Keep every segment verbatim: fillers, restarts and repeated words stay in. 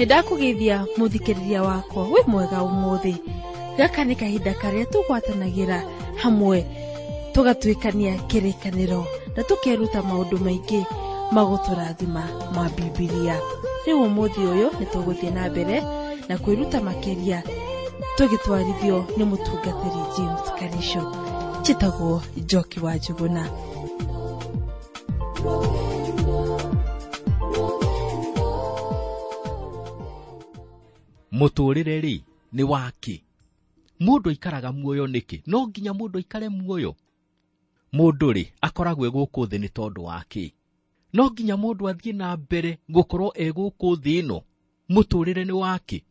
Nĩndakũgeithia mũthikĩrĩria wakwa wĩ mwega ũmũthĩ. Gaka nĩ kahinda karĩa tũgwatanagĩra hamwe tũgatuĩkania kĩrĩkanĩro na tũkeruta maũndũ maingĩ magũtũrathima ma Bibilia. Rĩu ũmũthĩ ũyũ nĩtũgũthiĩ na mbere na kwĩruta makĩria tũgĩtwarithio nĩ mũtungatĩri James Karisho. Njĩtagwo Njoki wa Njuguna. Mũtũrĩre rĩ nĩ wake. Mũndũ aikaraga muoyo nĩkĩ? No nginya mũndũ aikare muoyo. Mũndũ rĩ akoragwo gũkũ thĩ nĩ tondũ wake. No nginya mũndũ athiĩ na mbere gũkorwo e gũkũ thĩ ĩno. Mũtũrĩre nĩ wake.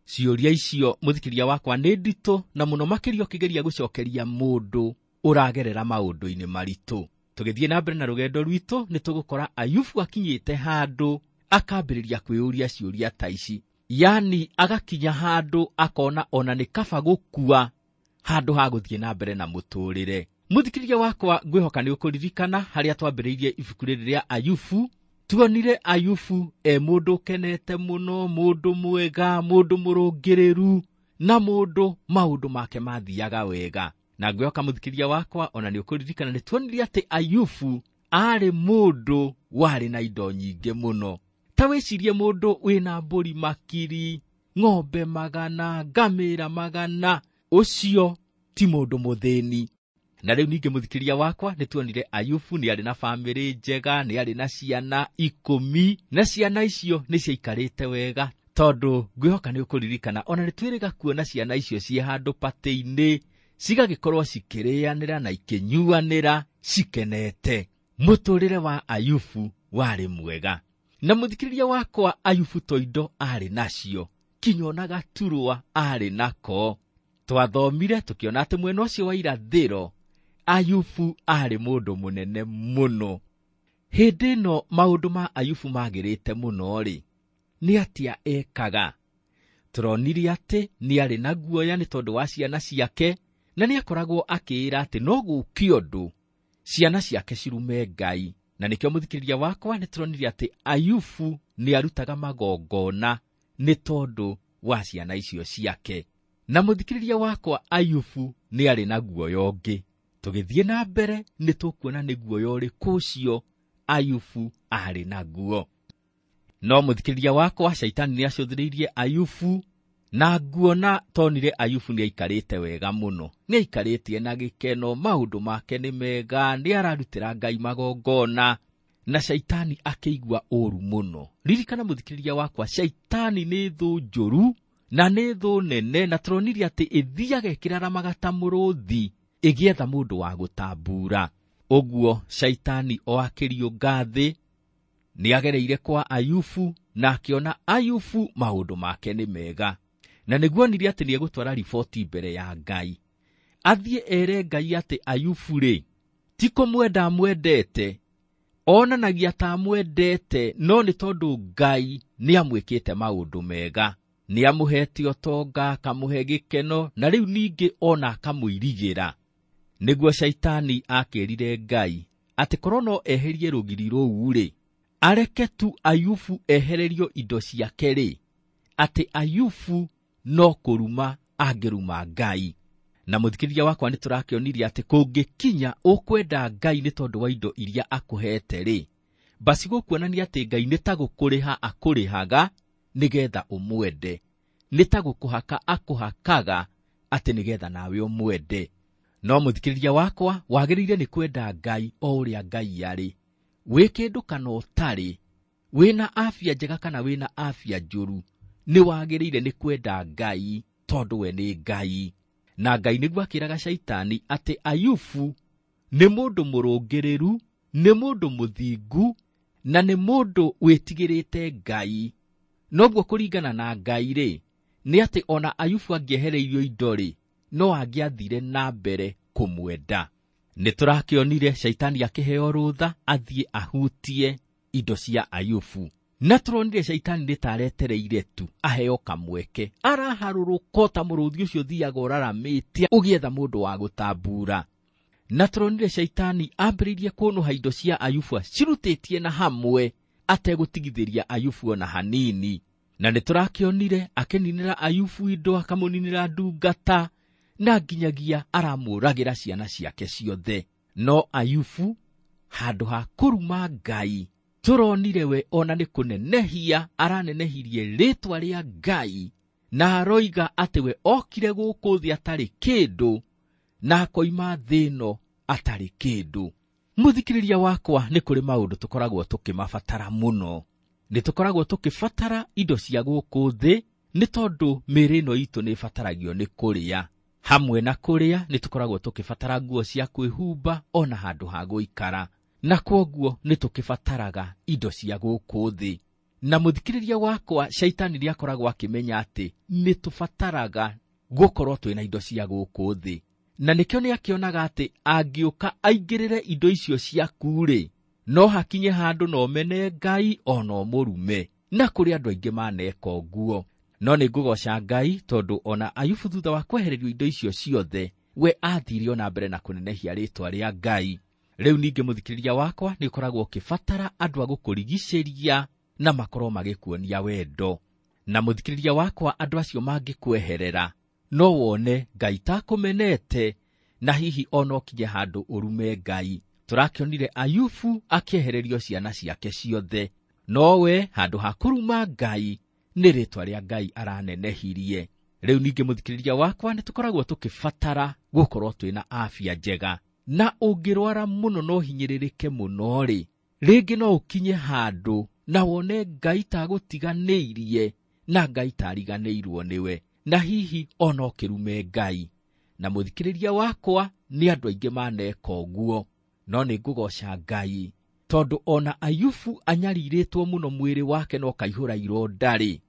Ciũria icio mũthikĩria wakwa nĩ nditũ na mũno makĩria ũkĩgeria gũcokeria mũndũ ũragerera maũndũ-inĩ maritũ. Tũgĩthiĩ na mbere na rũgendo rwitũ nĩ tũgũkora Ayubu akinyĩte handũ akambĩrĩria kwĩyũria ciũria ta ici. Yani agakinya handũ akona ona nĩ kaba gũkua handũ ha gũthiĩ na mbere na mũtũrĩre. Mũthikĩria wakwa ngwĩhoka nĩ ũkũririkana harĩa twambĩrĩirie ibuku rĩrĩ rĩa Ayubu. Tuonire Ayubu e mũndũ ũkenete mũno, mũndũ mwega, mũndũ mũrũngĩrĩru na mũndũ maũndũ make mathiaga wega. Na ngwĩhoka mũthikĩria wakwa ona nĩ ũkũririkana nĩ tuonire atĩ Ayubu aarĩ mũndũ warĩ na indo nyingĩ mũno. Ta wĩcirie mũndũ wĩna mbũri makiri, ng'ombe magana, ngamĩra magana, ũcio ti mũndũ mũthĩni. Na rĩu ningĩ mũthikĩria wakwa nĩ tuonire Ayubu nĩ arĩ na bamĩrĩ njega, nĩ arĩ na ciana ikũmi, na ciana icio nĩ ciaikarĩte wega tondũ ngwĩhoka nĩ ũkũririkana ona nĩ twĩrĩga kuona ciana icio ciĩ handũ patĩ-inĩ cigagĩkorwo cikĩrĩanĩra na ikĩnyuanĩra cikenete. Mũtũrĩre wa Ayubu warĩ mwega. Na mũthikĩrĩria wakwa Ayubu to indo arĩ nacio, kinya ona gaturwa arĩ nako. Twathomire tũkĩona atĩ mwena ũcio wa irathĩro Ayubu arĩ mũndũ mũnene mũno. Hĩndĩ ĩno maũndũ ma Ayubu magĩrĩte mũno rĩ, nĩ atĩa ekaga? Tũronire atĩ nĩ arĩ na guoya nĩ tondũ wa ciana ciake, na nĩ akoragwo akĩĩra atĩ no gũũke ũndũ ciana ciake cirume Ngai. Na nĩkĩo mũthikĩrĩria wakwa nĩ tũronire atĩ Ayubu nĩ arutaga magongona nĩ tondũ wa ciana icio ciake. Na mũthikĩrĩria wakwa Ayubu nĩ arĩ na guoya ũngĩ. Tũgĩthiĩ na mbere nĩ tũkuona nĩ guoya ũrĩkũ ũcio Ayubu arĩ naguo. No mũthikĩrĩria wakwa Shaitani nĩ acũthĩrĩirie Ayubu na nguona tonire Ayubu nĩ aikarĩte wega mũno. Nĩ aikarĩte na gĩkeno, maũndũ make nĩ mega, nĩ ararutĩra Ngai magongona, na Shaitani akĩigua ũru mũno. Ririkana mũthikĩrĩria wakwa, Shaitani nĩ thũ njũru na nĩ thũ nene, na tũronire atĩ ĩthiaga ĩkĩraramaga ta mũrũthi ĩgĩetha mũndũ wa gũtambura. Ũguo Shaitani o akĩriũnga thĩ nĩ agereire kwa Ayubu na akĩona Ayubu maũndũ make nĩ mega. Na nĩguo onire atĩ nĩegũtwara riboti mbere ya Ngai. Athiĩ ere Ngai atĩ Ayubu rĩ, ti kũmwenda amwendete, onanagia ta amwendete, no nĩ tondũ Ngai nĩ amwĩkĩte maũndũ mega. Nĩ amũhete ũtonga, akamũhe gĩkeno, na rĩu ningĩ ona akamũirigĩra. Nĩguo Shaitani akĩrire Ngai atĩ korwo no eherie rũgiri rũu rĩ, areke tu Ayubu ehererio indo ciake rĩ, atĩ Ayubu no kũruma angĩruma Ngai. Na mũthikĩrĩria wakwa nĩ tũrakĩonirie atĩ kũngĩkinya ũkwenda Ngai nĩ tondũ wa indo iria akũhete rĩ, basi gũkuonania atĩ Ngai nĩ ta gũkũrĩha akũrĩhaga nĩgetha ũmwende, nĩ ta gũkũhaka akũhakaga atĩ nĩgetha nawe ũmwende. No mũthikĩrĩria wakwa wagĩrĩire nĩ kwenda Ngai o ũrĩa Ngai arĩ, wĩ kĩndũ kana ũtarĩ, wĩna afya njega kana wĩna afya njũru, nĩ wagĩrĩire nĩ kwenda Ngai tondũ we nĩ Ngai. Na Ngai nĩguo akĩraga Shaitani atĩ Ayubu nĩ mũndũ mũrũngĩrĩru, nĩ mũndũ mũthingu, na nĩ mũndũ wĩtigĩrĩte Ngai. Noguo kũringana na Ngai rĩ, nĩ atĩ ona Ayubu angĩehereirio indo rĩ, no angĩathire na mbere kũmwenda. Nĩ tũrakĩonire Shaitani akĩheo rũtha athiĩ ahutie indo cia Ayubu. Na tũronire Shaitani nĩ ta aretereire tu aheo kamweke, araharũrũka ta mũrũthi ũcio ũthiaga ũraramĩte ũgĩetha mũndũ wa gũtambura. Na tũronire Shaitani ambĩrĩirie kũnũha indo cia Ayubu acirutĩtie na hamwe ategũtigithĩria Ayubu ona hanini. Na nĩ tũrakĩonire akĩninĩra Ayubu indo, akamũninĩra ndungata, na nginyagia aramũragĩra ciana ciake ciothe. No Ayubu handũ ha kũruma Ngai, tũronire we ona nĩ kũnenehia aranenehirie rĩtwa rĩa Ngai, na aroiga atĩ we okire gũkũ thĩ atarĩ kĩndũ na akoima thĩ ĩno atarĩ kĩndũ. Mũthikĩrĩria wakwa, nĩ kũrĩ maũndũ tũkoragwo tũkĩmabatara mũno. Nĩ tũkoragwo tũkĩbatara indo cia gũkũ thĩ nĩ tondũ mĩĩrĩ ĩno itũ nĩ ĩbataragio nĩ kũrĩa. Hamwe na kũrĩa nĩ tũkoragwo tũkĩbatara nguo cia kwĩhumba ona handũ ha gũikara, na kwoguo nĩ tũkĩbataraga indo cia gũkũ thĩ. Na mũthikĩrĩria wakwa, shaitani nĩ akoragwo akĩmenya atĩ nĩ tũbataraga gũkorwo twĩna indo cia gũkũ thĩ, na nĩkĩo nĩ akĩonaga atĩ angĩũka aingĩrĩre indo icio ciaku-rĩ, no hakinye handũ no mene Ngai ona ũmũrume, na kũrĩ andũ aingĩ maneka ũguo. No nĩ ngũgoca Ngai tondũ ona Ayubu thutha wa kwehererio indo icio ciothe, we athire ona mbere na kũnenehia rĩtwa rĩa Ngai. Rĩu ningĩ mũthikĩrĩria wakwa, nĩ ũkoragwo ũkĩbatara andũ a gũkũrigicĩria na makorwo magĩkuonia wendo. Na mũthikĩrĩria wakwa, andũ acio mangĩkweherera, no wone Ngai takũmenete, na hihi ona ũkinye handũ ũrume Ngai. Tũrakĩonire Ayubu akĩehererio ciana ciake ciothe, nowe handũ ha kũruma Ngai nĩ rĩtwa rĩa Ngai aranenehirie. Rĩu ningĩ mũthikĩrĩria wakwa, nĩ tũkoragwo tũkĩbatara gũkorwo twĩna afya njega, na ũngĩrwara mũno no hinyĩrĩrĩke mũno-rĩ, rĩngĩ no ũkinye handũ na wone Ngai tagũtiganĩirie na Ngai tariganĩirwo nĩwe, na hihi ona ũkĩrume Ngai. Na mũthikĩrĩria wakwa, nĩ andũ aingĩ maneka ũguo. No nĩ ngũgoca Ngai tondũ ona Ayubu anyarirĩtwo mũno mwĩrĩ wake no kaihũra ironda-rĩ,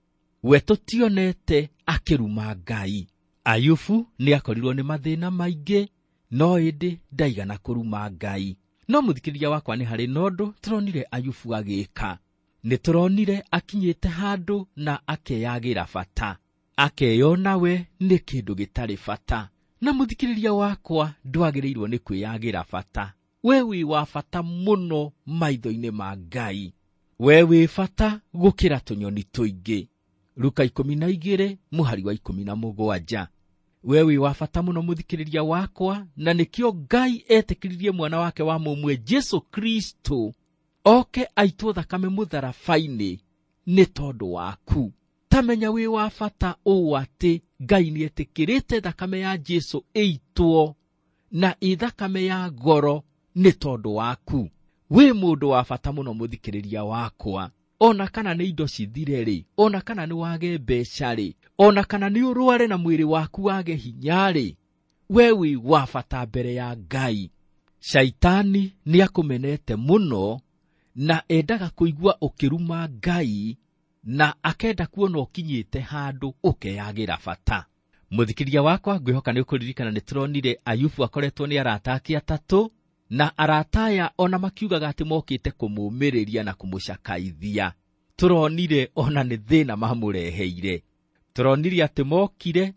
we tũtionete akĩruma Ngai. Ayubu nĩ akorirwo nĩ mathĩna maingĩ, no ĩndĩ ndaigana kũruma Ngai. No mũthikĩrĩria wakwa, nĩ harĩ na ũndũ tũronire Ayubu agĩka. Nĩ tũronire akinyĩte handũ na akeyagĩra bata, akeyona we nĩ kĩndũ gĩtarĩ bata. Na mũthikĩrĩria wakwa, ndwagĩrĩirwo nĩ kwĩyagĩra bata. We wĩ wa bata mũno maitho-inĩ ma Ngai. We wĩ bata gũkĩra tũnyoni tũingĩ. Luka ikũmi na igĩrĩ mũhari wa ikũmi na mũgwanja. We wĩ wa bata mũno mũthikĩrĩria wakwa, na nĩkĩo Ngai etĩkĩririe mwana wake wa mũmwe Jesu Kristo oke aitwo thakame mũtharaba-inĩ nĩ tondũ waku. Tamenya wĩ wa bata ũũ atĩ Ngai nĩ etĩkĩrĩte thakame ya Jesu ĩitwo, na ĩ thakame ya goro nĩ tondũ waku. Wĩ mũndũ wa bata mũno mũthikĩrĩria wakwa. Ona kana nĩ indo cithire-rĩ, ona kana nĩ wage mbeca-rĩ, ona kana nĩ ũrware na mwĩrĩ waku wage hinya-rĩ, we wĩ wa bata mbere ya Ngai. Shaitani nĩ akũmenete mũno na endaga kũigua ũkĩruma Ngai, na akenda kuona ũkinyĩte handũ ũkeyagĩra bata. Mũthikĩrĩria wakwa, ngwĩhoka nĩ ũkũririkana nĩ tũronire Ayubu akoretwo nĩ arata ake atatũ, na arata aya ona makiugaga atĩ mokĩte kũmũmĩrĩria na kũmũcakaithia. Tũronire ona nĩ thĩna mamũreheire. Tũronire atĩ mokire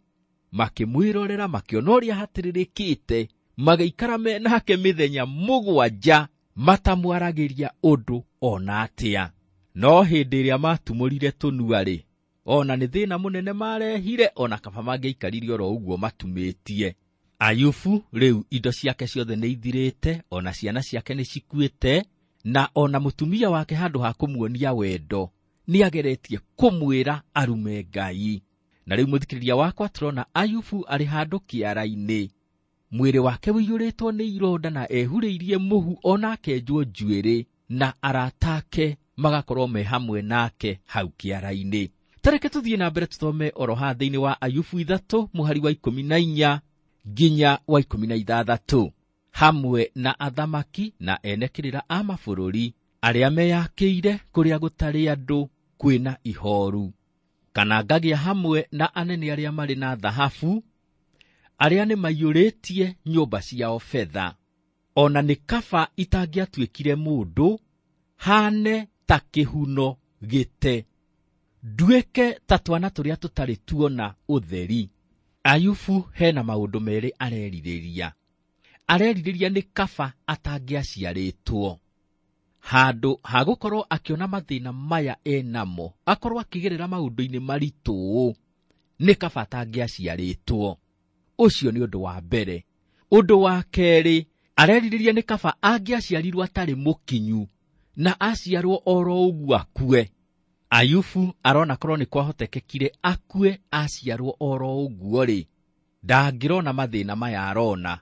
makĩmwĩrorera, makĩona ũrĩa hatĩrĩrĩkĩte, magĩikara me nake mĩthenya mũgwanja matamwaragĩria ũndũ ona atĩa. No hĩndĩ ĩrĩa matumũrire tũnua-rĩ, ona nĩ thĩna mũnene marehire, ona kaba mangĩaikarire oro ũguo matumĩtie. Ayubu rĩu indo ciake ciothe nĩ ithirĩte, ona ciana ciake nĩ cikuĩte, na ona mũtumia wake handũ ha kũmuonia wendo nĩ ageretie kũmwĩra arume Ngai. Na rĩu mũthikĩrĩria wakwa, tũrona Ayubu arĩ handũ kĩara-inĩ, mwĩrĩ wake ũiyũrĩtwo nĩ ironda na ehurĩirie mũhu ona akenjwo njuĩrĩ, na arata ake magakorwo me hamwe nake hau kĩara-inĩ. Tareke tũthiĩ na mbere tũthome oro haha thĩinĩ wa Ayubu ithatũ mũhari wa ikũmi na inya nginya wa ikũmi na ithathatũ. Hamwe na athamaki na ene kĩrĩra a mabũrũri arĩa meyakĩire kũrĩa gũtarĩ andũ kwĩna ihoru, kana ngagĩa hamwe na anene arĩa marĩ na thahabu, arĩa nĩ maiyũrĩtie nyũmba ciao betha. Ona nĩ kaba itangĩatuĩkire mũndũ, hane ta kĩhuno gĩte, nduĩke ta twana tũrĩa tũtarĩ tuona ũtheri. Ayubu hena maũndũ merĩ arerirĩria. Arerirĩria nĩ kaba atangĩaciarĩtwo. Handũ ha gũkorwo akĩona mathĩna maya enamo, akorwo akĩgerera maũndũ-inĩ maritũ, nĩ kaba atangĩaciarĩtwo. Ũcio nĩ ũndũ wa mbere. Ũndũ wa kerĩ, arerirĩria nĩ kaba angĩaciarirwo atarĩ mũkinyu na aciarwo oro ũguo akue. Ayubu arona korwo nĩ kwahotekekire akue aciarwo oro ũguo rĩ, ndangĩrona mathĩna maya arona,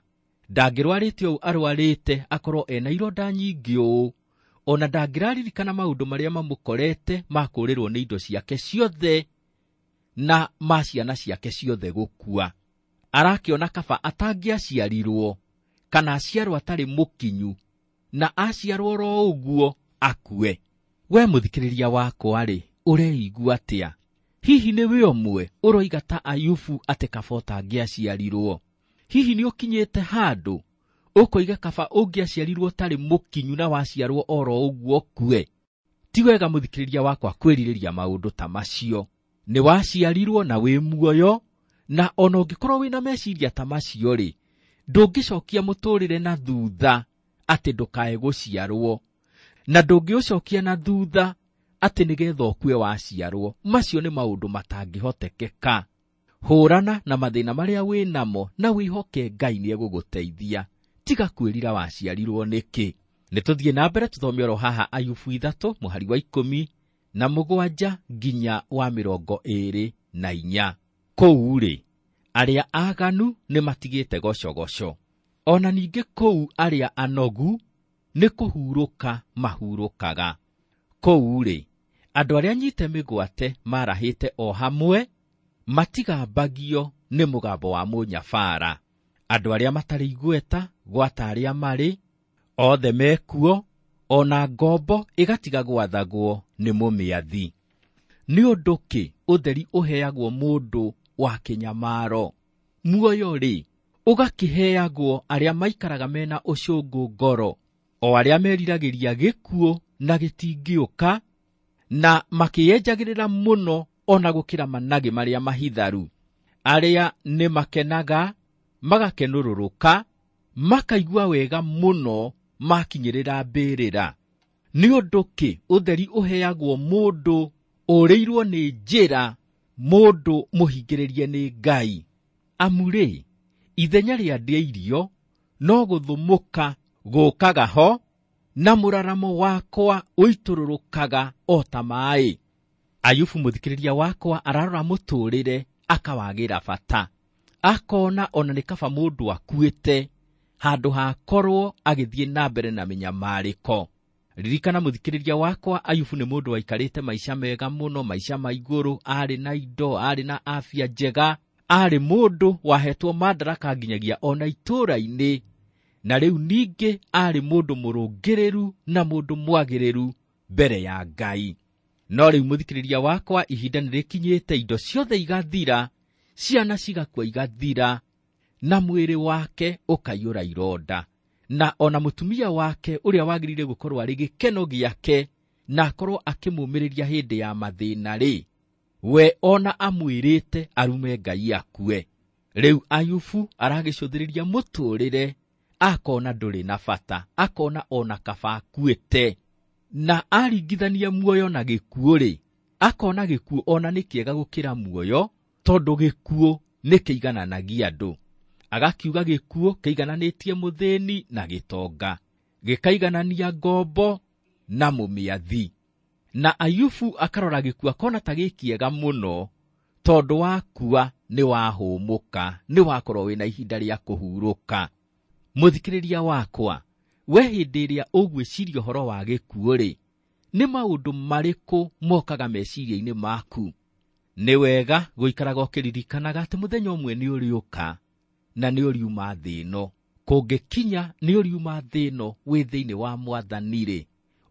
ndangĩrwarĩte ũũ arwarĩte akorwo ena ironda nyingĩ ũũ, ona ndangĩraririkana maũndũ marĩa mamũkorete ma kũũrĩrwo nĩ indo ciake ciothe na ma ciana ciake ciothe gũkua. Arakĩona kaba atangĩaciarirwo kana aciarwo atarĩ mũkinyu na aciarwo oro ũguo akue. We mũthikĩrĩria wakwa rĩ, ũreigua atĩa? Hihi nĩ we ũmwe ũroiga ta Ayubu atĩ kaba ũtangĩaciarirwo? Hihi nĩ ũkinyĩte handũ ũkoiga kaba ũngĩaciarirwo ũtarĩ mũkinyu na waciarwo oro ũguo ũkue? Ti wega mũthikĩrĩria wakwa kwĩrirĩria maũndũ ta macio. Nĩ waciarirwo na wĩ muoyo, na ona ũngĩkorwo wĩna meciria ta macio rĩ, ndũngĩcokia mũtũrĩre na thutha atĩ ndũkae gũciarwo, na ndũngĩũcokia na thutha atĩ nĩgetha ũkue waciarwo. Macio nĩ maũndũ matangĩhotekeka. Hũrana na mathĩna marĩa wĩ namo na wĩhoke Ngai nĩ egũgũteithia. Tiga kwĩrira waciarirwo nĩkĩ. Nĩ tũthiĩ na mbere tũthome oro haha Ayubu ithatũ mũhari wa ikũmi na mũgwanja nginya wa mĩrongo ĩĩrĩ na inya. Kũu rĩ, arĩa aganu nĩ matigĩte gocogoco, ona ningĩ kũu arĩa anogu nĩ kũhurũka mahurũkaga. Kũu rĩ, andũ arĩa anyite mĩgwate marahĩte o hamwe, matigambagio nĩ mũgambo wa mũnyabara. Andũ arĩa matarĩ igweta gwata arĩa marĩ othe mekuo, ona ngombo ĩgatiga gwathagwo nĩ mũmĩathi. Nĩ ũndũ kĩ ũtheri ũheagwo mũndũ wa kĩnyamaro? Muoyo rĩ, ũgakĩheagwo arĩa maikaraga mena ũcũngũ ngoro, o arĩa meriragĩria gĩkuũ na gĩtingĩũka, na makĩyenjagĩrĩra mũno ona gũkĩra managĩ marĩa mahitharu. Arĩa nĩ makenaga, magakenũrũrũka, makaigua wega mũno makinyĩrĩra mbĩrĩra. Nĩ ũndũ kĩ ũtheri ũheagwo mũndũ ũrĩirwo nĩ njĩra, mũndũ mũhingĩrĩrie nĩ Ngai? Amu rĩ, ithenya rĩa ndĩa irio no gũthũmũka gũkaga ho, na mũraramo wakwa ũitũrũrũkaga o ta maĩ. Ayubu mũthikĩrĩria wakwa ararora mũtũrĩre akawagĩra bata, akona ona nĩ kaba mũndũ akuĩte handũ hakorwo agĩthiĩ na mbere na mĩnyamarĩko. Ririkana mũthikĩrĩria wakwa, Ayubu nĩ mũndũ waikarĩte maica mega mũno, maica ma igũrũ, arĩ na indo, arĩ na afya njega, arĩ mũndũ wahetwo madaraka nginyagia ona itũũra-inĩ, na rĩu ningĩ arĩ mũndũ mũrũngĩrĩru na mũndũ mwagĩrĩru mbere ya Ngai. No rĩu mũthikĩrĩria wakwa, ihinda nĩ rĩkinyĩte, indo ciothe igathira, ciana cigakua igathira, na mwĩrĩ wake ũkaiyũra ironda, na ona mũtumia wake ũrĩa wagĩrĩire gũkorwo arĩ gĩkeno gĩake na akorwo akĩmũmĩrĩria hĩndĩ ya mathĩna rĩ, we ona amwĩrĩte arume Ngai akue. Rĩu Ayubu aragĩcũthĩrĩria mũtũrĩre, akona ndũrĩ na bata, akona ona kaba akuĩte, na aringithania muoyo na gĩkuũ rĩ, akona gĩkuũ ona nĩ kĩega gũkĩra muoyo, tondũ gĩkuũ nĩ kĩigananagia andũ. Agakiuga gĩkuũ kĩigananĩtie mũthĩni na gĩtonga, gĩkaiganania ngombo na mũmĩathi. Na Ayubu akarora gĩkuũ akona ta gĩkĩega mũno, tondũ wakua nĩ wahũmũka, nĩ wakorwo wĩna ihinda rĩa kũhurũka. Mũthikĩrĩria wakwa, we hĩndĩ ĩrĩa ũgwĩciria ũhoro wa gĩkuũ rĩ, nĩ maũndũ marĩkũ mokaga meciria-inĩ maku? Nĩ wega gũikaraga ũkĩririkanaga atĩ mũthenya ũmwe nĩ ũrĩũka na nĩ ũriuma thĩ ĩno. Kũngĩkinya nĩ ũriuma thĩ ĩno wĩ thĩinĩ wa Mwathani rĩ,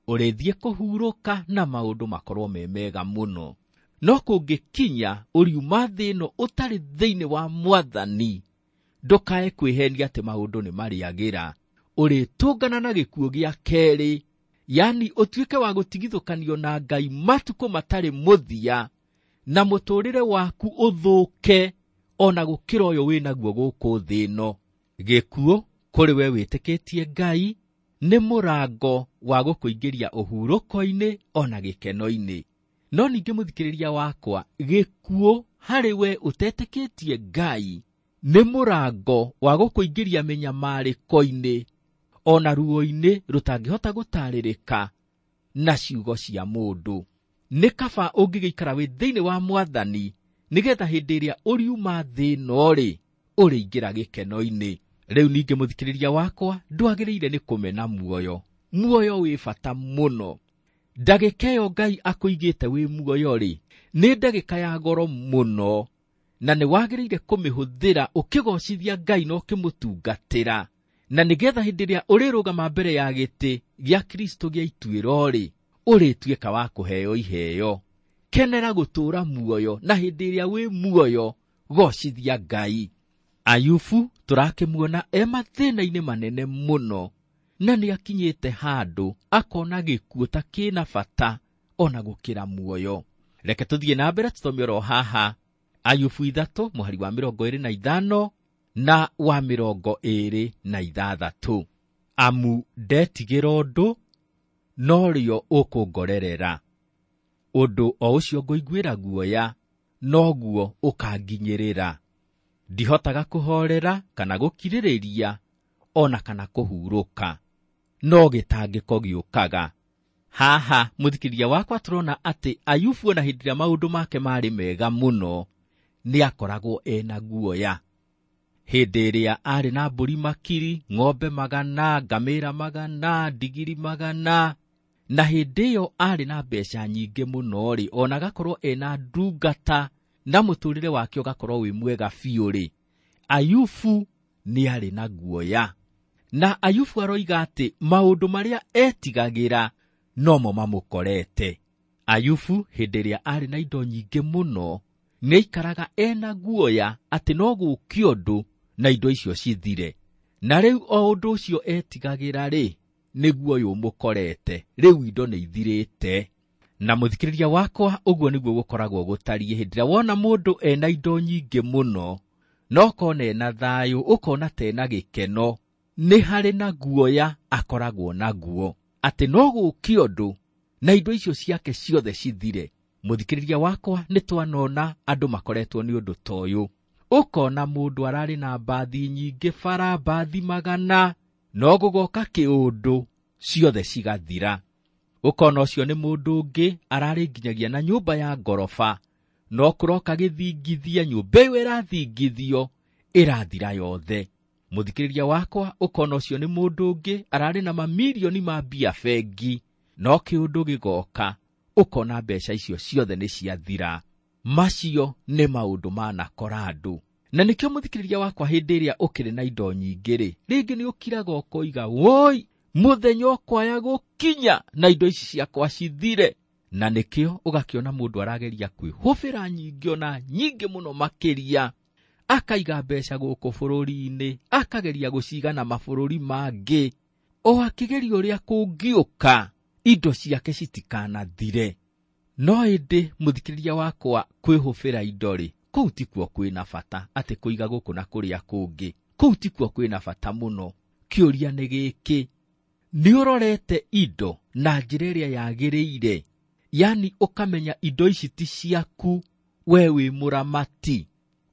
ũrĩthiĩ kũhurũka na maũndũ makorwo me mega mũno. No kũngĩkinya ũriuma thĩ ĩno ũtarĩ thĩinĩ wa Mwathani, ndũkae kwĩhenia atĩ maũndũ nĩ marĩagĩra. Ũrĩtũngana na gĩkuũ gĩa kerĩ, yani ũtuĩke wa gũtigithũkanio na Ngai matukũ matarĩ mũthia, na mũtũrĩre waku ũthũke ona gũkĩra ũyũ wĩnaguo gũkũ thĩ ĩno. Gĩkuũ kũrĩ we wĩtĩkĩtie Ngai Nĩ mũrango wa gũkũingĩria ũhurũko-inĩ ona gĩkeno-inĩ. No ningĩ mũthikĩrĩria wakwa, gĩkuũ harĩ we ũtetĩkĩtie Ngai nĩ mũrango wa gũkũingĩria mĩnyamarĩko-inĩ ona ruo-inĩ rũtangĩhota gũtarĩrĩka na ciugo cia mũndũ. Nĩ kaba ũngĩgĩikara wĩ thĩinĩ wa Mwathani nĩgetha hĩndĩ ĩrĩa ũriuma thĩ ĩno-rĩ, ũrĩingĩra gĩkeno-inĩ. Rĩu ningĩ mũthikĩrĩria wakwa, ndwagĩrĩire nĩ kũmena muoyo. Muoyo wĩ bata mũno. Ndagĩka ĩyo Ngai akũigĩte wĩ muoyo-rĩ, nĩ ndagĩka ya goro mũno, na nĩ wagĩrĩire kũmĩhũthĩra ũkĩgocithia Ngai na ũkĩmũtungatĩra, na nĩgetha hĩndĩ ĩrĩa ũrĩrũgama mbere ya gĩtĩ gĩa Kristo gĩa ituĩro-rĩ, ũrĩtuĩka wa kũheo iheo. Kenera gũtũũra muoyo, na hĩndĩ ĩrĩa wĩ muoyo gocithia Ngai. Ayubu tũrakĩmuona e mathĩna-inĩ manene mũno, na nĩ akinyĩte handũ akona gĩkuũ ta kĩna bata ona gũkĩra muoyo. Reke tũthiĩ na mbere tũthome oro haha Ayubu ithatũ mũhari wa mĩrongo ĩrĩ na ithano na wa mĩrongo ĩrĩ na ithathatũ. Amu ndetigĩra ũndũ, norĩo ũkũngorerera, ũndũ o ũcio ngũiguĩra guoya noguo ũkanginyĩrĩra. Ndihotaga kũhoorera kana gũkirĩrĩria ona kana kũhurũka, no gĩtangĩko gĩũkaga. Haha mũthikĩrĩria wakwa tũrona atĩ Ayubu ona hĩndĩ ĩrĩa maũndũ make marĩ mega mũno nĩ akoragwo ena guoya. Hĩndĩ ĩrĩa arĩ na mbũri makiri, ng'ombe magana, ngamĩra magana, ndigiri magana, na hĩndĩ ĩyo arĩ na mbeca nyingĩ mũno-rĩ, ona agakorwo ena ndungata na mũtũrĩre wake ũgakorwo wĩ mwega biũ-rĩ, Ayubu nĩ arĩ na guoya. Na Ayubu aroiga atĩ maũndũ marĩa etigagĩra nomo mamũkorete. Ayubu hĩndĩ ĩrĩa arĩ na indo nyingĩ mũno nĩ aikaraga ena guoya atĩ no gũũke ũndũ na indo icio cithire. Na rĩu o ũndũ ũcio etigagĩra-rĩ, nĩguo ũyũ ũmũkorete, rĩu indo nĩ ithirĩte. Na mũthikĩrĩria wakwa, ũguo nĩguo gũkoragwo gũtariĩ hĩndĩ ĩrĩa wona mũndũ ena indo nyingĩ mũno, no ũkona ena thayũ, ũkona ta ena gĩkeno, nĩ harĩ na guoya akoragwo naguo atĩ no gũũke ũndũ na indo icio ciake ciothe cithire. Mũthikĩrĩria wakwa, nĩ twanona andũ makoretwo nĩ ũndũ ta ũyũ. Ũkona mũndũ ararĩ na mbathi nyingĩ bara, mbathi magana, no gũgoka kĩũndũ ciothe cigathira. Ũkona ũcio nĩ mũndũ ũngĩ ararĩ nginyagia na nyũmba ya ngoroba, no kũroka gĩthingithia, nyũmba ĩyo ĩrathingithio ĩrathira yothe. Mũthikĩrĩria wakwa, ũkona ũcio nĩ mũndũ ũngĩ ararĩ na mamirioni ma mbia bengi, no kĩũndũ gĩgoka, ũkona mbeca icio ciothe nĩ ciathira. Macio nĩ maũndũ manakora andũ. Na nĩkĩo mũthikĩrĩria wakwa, hĩndĩ ĩrĩa ũkĩrĩ na indo nyingĩ-rĩ, rĩngĩ nĩ ũkiraga ũkoiga, woi, mũthenya ũkwaya gũkinya na indo ici ciakwa cithire. Na nĩkĩo ũgakĩona mũndũ arageria kwĩhũbĩra nyingĩ ona nyingĩ mũno makĩria, akaiga mbeca gũkũ bũrũri-inĩ, akageria gũciga na mabũrũri mangĩ, o akĩgeria ũrĩa kũngĩũka indo ciake citikanathire. No ĩndĩ mũthikĩrĩria wakwa, kwĩhũbĩra indo-rĩ, kũu tikuo kwĩna bata, atĩ kũiga gũkũ na kũrĩa kũngĩ, kũu tikuo kwĩna bata mũno. Kĩũria nĩ gĩkĩ, nĩ ũrorete indo na njĩra ĩrĩa yagĩrĩire? Yani ũkamenya indo ici ti ciaku, we wĩ mũramati.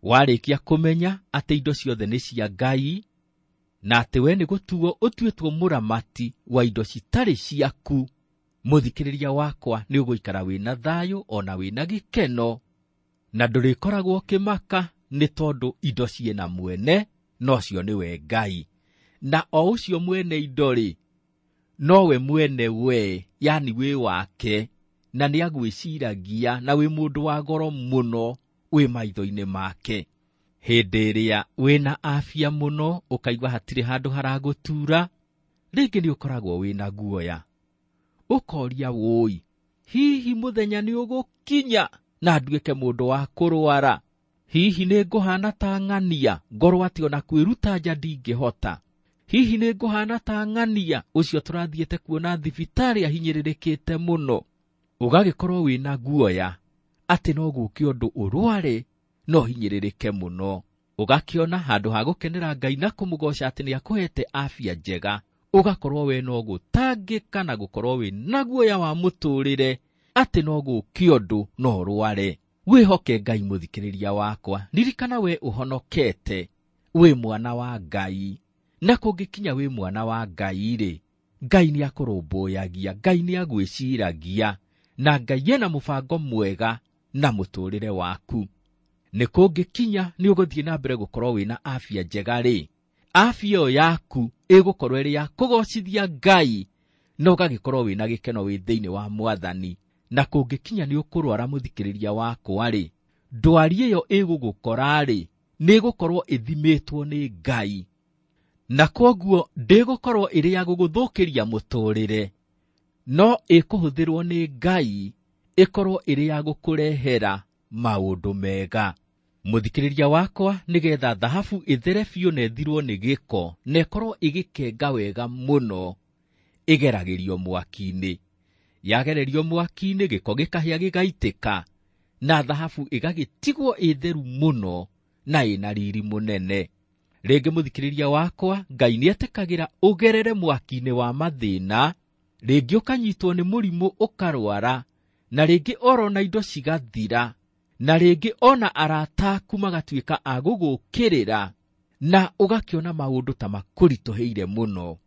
Warĩkia kũmenya atĩ indo ciothe nĩ cia Ngai, na atĩ we nĩ gũtuo ũtuĩtwo mũramati wa indo citarĩ ciaku, mũthikĩrĩria wakwa, nĩ ũgũikara wĩna thayũ ona wĩna gĩkeno, na ndũrĩkoragwo ũkĩmaka nĩ tondũ indo ciĩna mwene, nocio nĩwe Ngai. Na o ũcio mwene indo-rĩ, nowe mwene we, yani wĩ wake, na nĩ agwĩciragia, na wĩ mũndũ wa goro mũno wĩ maitho-inĩ make. Hĩndĩ ĩrĩa wĩna afya mũno, ũkaigua hatirĩ handũ haragũtura, rĩngĩ nĩ ũkoragwo wĩna guoya. Ũkoria wũi, hihi mũthenya nĩ ũgũkinya na nduĩke mũndũ wa kũrwara? Hihi nĩ ngũhana ta ng'ania, ngorwo atĩ ona kwĩruta nja ndingĩhota? Hihi nĩ ngũhana ta ng'ania ũcio tũrathiĩte kuona thibitarĩ ahinyĩrĩrĩkĩte mũno? Ũgagĩkorwo wĩna guoya atĩ no gũũke ũndũ ũrware no hinyĩrĩrĩke mũno. Ũgakĩona handũ ha gũkenera Ngai na kũmũgoca atĩ nĩ akũhete afya njega, Ũgakorwo we no gũtangĩka na gũkorwo wĩ na guoya wa mũtũrĩre atĩ no gũũke ũndũ no ũrware. Wĩhoke Ngai mũthikĩrĩria wakwa, ririkana we ũhonokete, wĩ mwana wa Ngai. Na kũngĩkinya wĩ mwana wa Ngai rĩ, Ngai nĩ akũrũmbũyagia, Ngai nĩ agwĩciragia, na Ngai ena mũbango mwega na mũtũrĩre waku. Nĩ kũngĩkinya nĩ ũgũthiĩ na mbere gũkorwo wĩna afya njega rĩ, afya ĩyo yaku ĩgũkorwo ĩrĩ ya kũgocithia Ngai, na ũgagĩkorwo wĩna gĩkeno wĩ thĩinĩ wa Mwathani. Na kũngĩkinya nĩ ũkũrwara mũthikĩrĩria wakwa rĩ, ndwari ĩyo ĩgũgũkora rĩ, nĩ ĩgũkorwo ĩthimĩtwo nĩ Ngai, na kwoguo ndĩgũkorwo ĩrĩ ya gũgũthũkĩria mũtũrĩre, no ĩkũhũthĩrwo nĩ Ngai ĩkorwo ĩrĩ ya gũkũrehera maũndũ mega. Mũthikĩrĩria wakwa, nĩgetha thahabu ĩthere biũ na ĩthirwo nĩ gĩko na ĩkorwo ĩgĩkenga wega mũno, ĩgeragĩrio mwaki-inĩ. Yagererio mwaki-inĩ, gĩko gĩkahĩa gĩgaitĩka, na thahabu ĩgagĩtigwo ĩtheru mũno na ĩna riri mũnene. Rĩngĩ mũthikĩrĩria wakwa, Ngai nĩetĩkagĩra ũgerere mwaki-inĩ wa mathĩna, rĩngĩ ũkanyitwo nĩ mũrimũ ũkarwara, na rĩngĩ orona indo cigathira, na rĩngĩ ona arata aku magatuĩka a gũgũkĩrĩra, na ũgakĩona maũndũ ta makũritũhĩire mũno.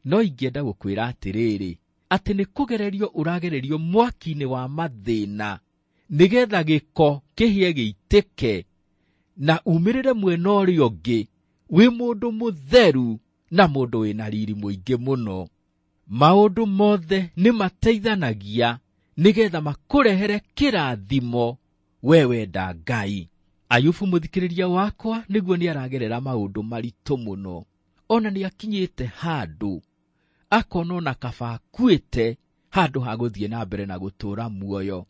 No ingĩenda gũkwĩra atĩrĩrĩ, atĩ nĩ kũgererio ũragererio mwaki-inĩ wa mathĩna, nĩgetha gĩko kĩhĩe gĩitĩke, na umĩrĩre mwena ũrĩa ũngĩ wĩ mũndũ mũtheru na mũndũ wĩna riri mũingĩ mũno. Maũndũ mothe nĩ mateithanagia nĩgetha makũrehere kĩrathimo we wenda Ngai. Ayubu mũthikĩrĩria wakwa, nĩguo nĩ aragerera maũndũ maritũ mũno, ona nĩ akinyĩte handũ akona ona kaba akuĩte handũ ha gũthiĩ na mbere na gũtũũra muoyo.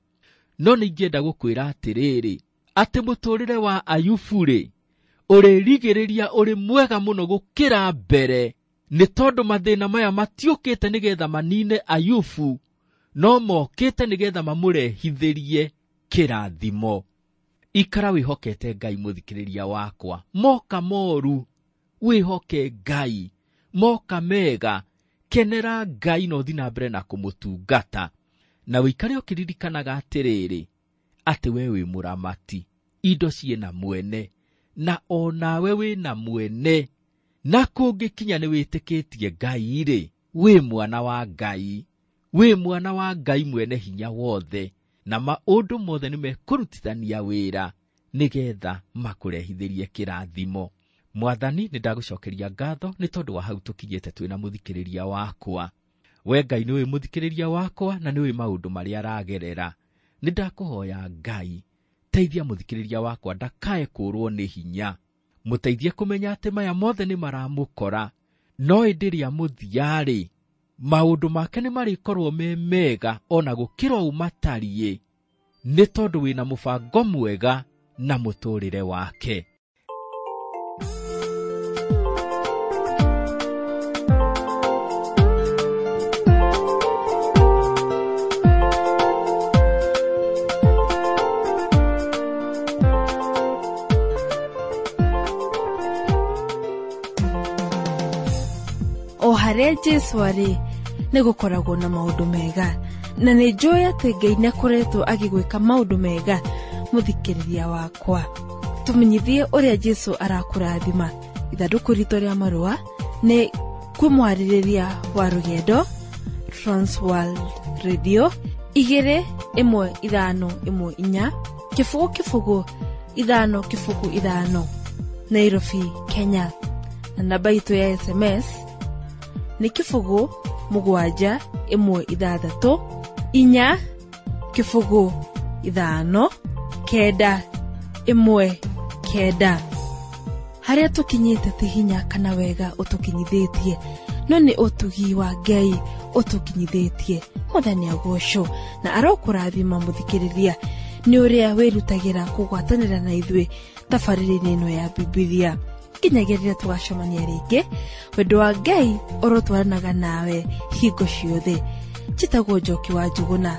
No nĩ ingĩenda gũkwĩra atĩrĩrĩ, atĩ mũtũrĩre wa Ayubu rĩ, ũrĩrigĩrĩria ũrĩ mwega mũno gũkĩra mbere, nĩ tondũ mathĩna maya matiũkĩte nĩgetha manine Ayubu, no mokĩte nĩgetha mamũrehithĩrie kĩrathimo. Ikara wĩhokete Ngai mũthikĩrĩria wakwa, moka moru wĩhoke Ngai, moka mega kenera Ngai na ũthiĩ na mbere na kũmũtungata. Na wĩikare ũkĩririkanaga atĩrĩrĩ, atĩ we wĩ mũramati, indo ciĩna mwene, na onawe wĩna mwene. Na kũngĩkinya nĩ wĩtĩkĩtie Ngai rĩ, wĩ mwana wa Ngai, wĩ mwana wa Ngai mwene hinya wothe, na maũndũ mothe nĩ mekũrutithania wĩra nĩgetha makũrehithĩrie kĩrathimo. Mwathani, nĩ ndagũcokeria ngatho nĩ tondũ wa hau tũkinyĩte twĩna mũthikĩrĩria wakwa. We Ngai nĩũĩ mũthikĩrĩria wakwa na nĩũĩ maũndũ marĩa aragerera. Nĩ ndakũhoya Ngai, teithia mũthikĩrĩria wakwa ndakae kũũrwo nĩ hinya. Mũteithie kũmenya atĩ maya mothe nĩ maramũkora, no ĩndĩ rĩa mũthia-rĩ, maũndũ make nĩ marĩkorwo me mega ona gũkĩra ũũ matariĩ, nĩ tondũ wĩna mũbango mwega na mũtũrĩre wake. O harĩa Jesũ arĩ nĩ gũkoragwo na maũndũ mega, na nĩ njũĩ atĩ Ngai nĩ akoretwo agĩgwĩka maũndũ mega. Mũthikĩrĩria wakwa, tũmenyithie ũrĩa Jesũ arakũrathima. Ithandũkũ ritũ rĩa marũa nĩ kwĩ mwarĩrĩria wa rũgendo Transworld Radio igĩrĩ ĩmwe ithano ĩmwe inya kĩbũgũ kĩbũgũ ithano kĩbũgũ ithano, Nairobi, Kenya. Na namba itũ ya S M S nĩ kĩbũgũ mũgwanja ĩmwe ithathatũ inya kĩbũgũ ithano kenda ĩmwe kenda. Harĩa tũkinyĩte ti hinya kana wega ũtũkinyithĩtie, no nĩ ũtugi wa Ngai ũtũkinyithĩtie. Mwathani agocwo na arokũrathima mũthikĩrĩria nĩ ũrĩa wĩrutagĩra kũgwatanĩra na ithuĩ tabarĩra-inĩ ĩno ya Bibilia. Nginyagia rĩrĩa tũgacemania rĩngĩ, wendo wa Ngai ũrotwaranaga nawe hingo ciothe. Njĩtagwo Njoki wa Njũgũna,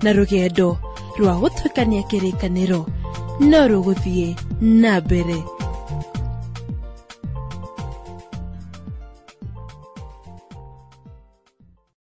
na rũgendo rwa gũtuĩkania kĩrĩkanĩro no rũgũthiĩ na mbere.